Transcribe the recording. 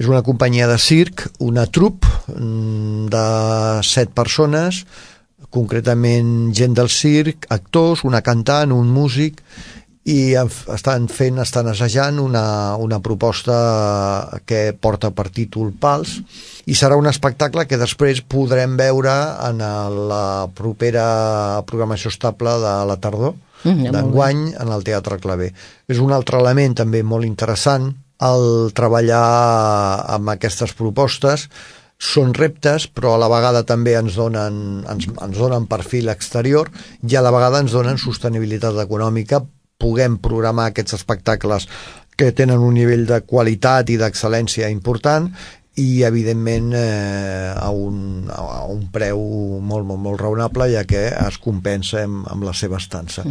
És una companyia de circ, una troupe de 7 persones, concretament gent del circ, actors, una cantant, un músic, i estan assajant una proposta que porta per títol Pals, i serà un espectacle que després podrem veure en la propera programació estable de la tardor d'enguany en el Teatre Claver. És un altre element també molt interessant el treballar amb aquestes propostes. Són reptes, però a la vegada també ens donen perfil exterior i a la vegada ens donen sostenibilitat econòmica. Puguem programar aquests espectacles que tenen un nivell de qualitat i d'excel·lència important i, evidentment, a un preu molt, molt, molt raonable, ja que es compensa amb la seva estança.